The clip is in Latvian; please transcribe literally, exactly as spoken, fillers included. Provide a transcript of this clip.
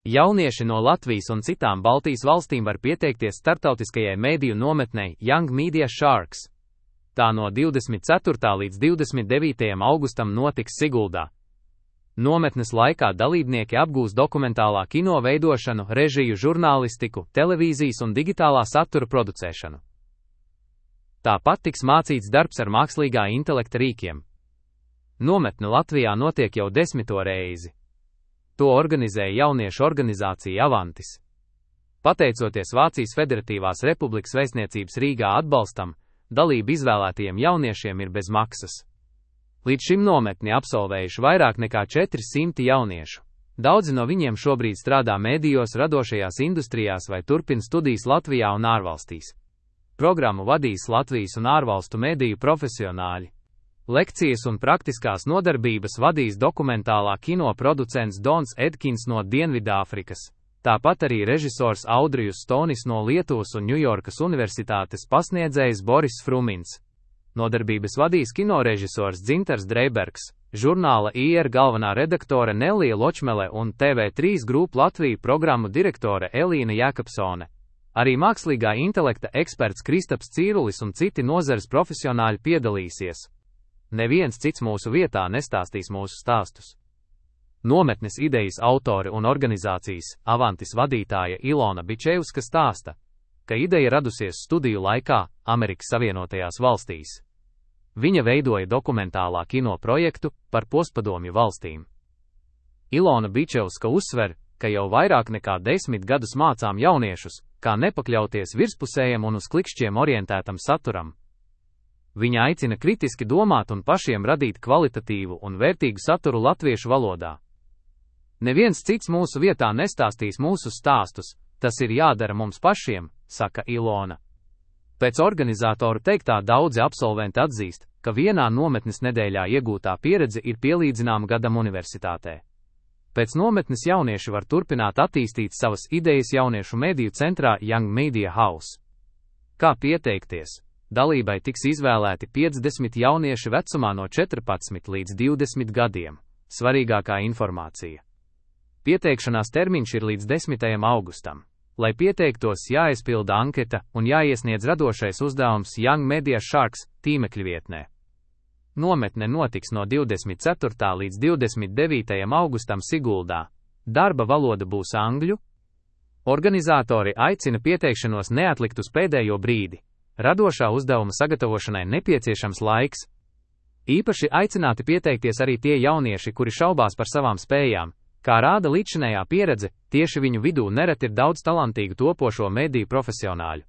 Jaunieši no Latvijas un citām Baltijas valstīm var pieteikties startautiskajai mēdīju nometnei Young Media Sharks. Tā no divdesmit ceturtā līdz divdesmit devītajam augustam notiks Siguldā. Nometnes laikā dalībnieki apgūs dokumentālā kino veidošanu, režiju, žurnālistiku, televīzijas un digitālā satura producēšanu. Tāpat tiks mācīts darbs ar mākslīgā intelekta rīkiem. Nometne Latvijā notiek jau desmito reizi. To organizēja jauniešu organizācija Avantis. Pateicoties Vācijas Federatīvās Republikas vēstniecības Rīgā atbalstam, dalība izvēlētajiem jauniešiem ir bez maksas. Līdz šim nometni absolvējuši vairāk nekā četri simti jauniešu. Daudzi no viņiem šobrīd strādā mēdījos, radošajās industrijās vai turpina studijas Latvijā un ārvalstīs. Programmu vadīs Latvijas un ārvalstu mēdīju profesionāļi. Lekcijas un praktiskās nodarbības vadīs dokumentālā kino producents Dons Edkins no Dienvidāfrikas, tāpat arī režisors Audrijus Stonis no Lietuvas un Ņujorkas Universitātes pasniedzējs Boris Frumins. Nodarbības vadīs kinorežisors Dzintars Dreibergs, žurnāla I R galvenā redaktore Nelija Ločmele un T V trīs Group Latvija programmu direktore Elīna Jākapsone. Arī mākslīgā intelekta eksperts Kristaps Cīrulis un citi nozares profesionāļi piedalīsies. Neviens cits mūsu vietā nestāstīs mūsu stāstus. Nometnes idejas autori un organizācijas Avantis vadītāja Ilona Bičevska stāsta, ka ideja radusies studiju laikā Amerikas Savienotajās valstīs. Viņa veidoja dokumentālā kino projektu par postpadomju valstīm. Ilona Bičevska uzsver, ka jau vairāk nekā desmit gadus mācām jauniešus, kā nepakļauties virspusējam un uz klikšķiem orientētam saturam. Viņa aicina kritiski domāt un pašiem radīt kvalitatīvu un vērtīgu saturu latviešu valodā. Neviens cits mūsu vietā nestāstīs mūsu stāstus, tas ir jādara mums pašiem, saka Ilona. Pēc organizatoru teiktā daudzi absolventi atzīst, ka vienā nometnes nedēļā iegūtā pieredze ir pielīdzināma gadam universitātē. Pēc nometnes jaunieši var turpināt attīstīt savas idejas jauniešu mediju centrā Young Media House. Kā pieteikties? Dalībai tiks izvēlēti piecdesmit jaunieši vecumā no četrpadsmit līdz divdesmit gadiem. Svarīgākā informācija. Pieteikšanās termiņš ir līdz desmitajam augustam. Lai pieteiktos, jāaizpilda anketa un jāiesniedz radošais uzdevums Young Media Sharks tīmekļa vietnē. Nometne notiks no divdesmit ceturtā līdz divdesmit devītajam augustam Siguldā. Darba valoda būs angļu. Organizatori aicina pieteikšanos neatlikt uz pēdējo brīdi. Radošā uzdevuma sagatavošanai nepieciešams laiks. Īpaši aicināti pieteikties arī tie jaunieši, kuri šaubās par savām spējām. Kā rāda līdzšinējā pieredze, tieši viņu vidū nereti ir daudz talantīgu topošo mediju profesionāļu.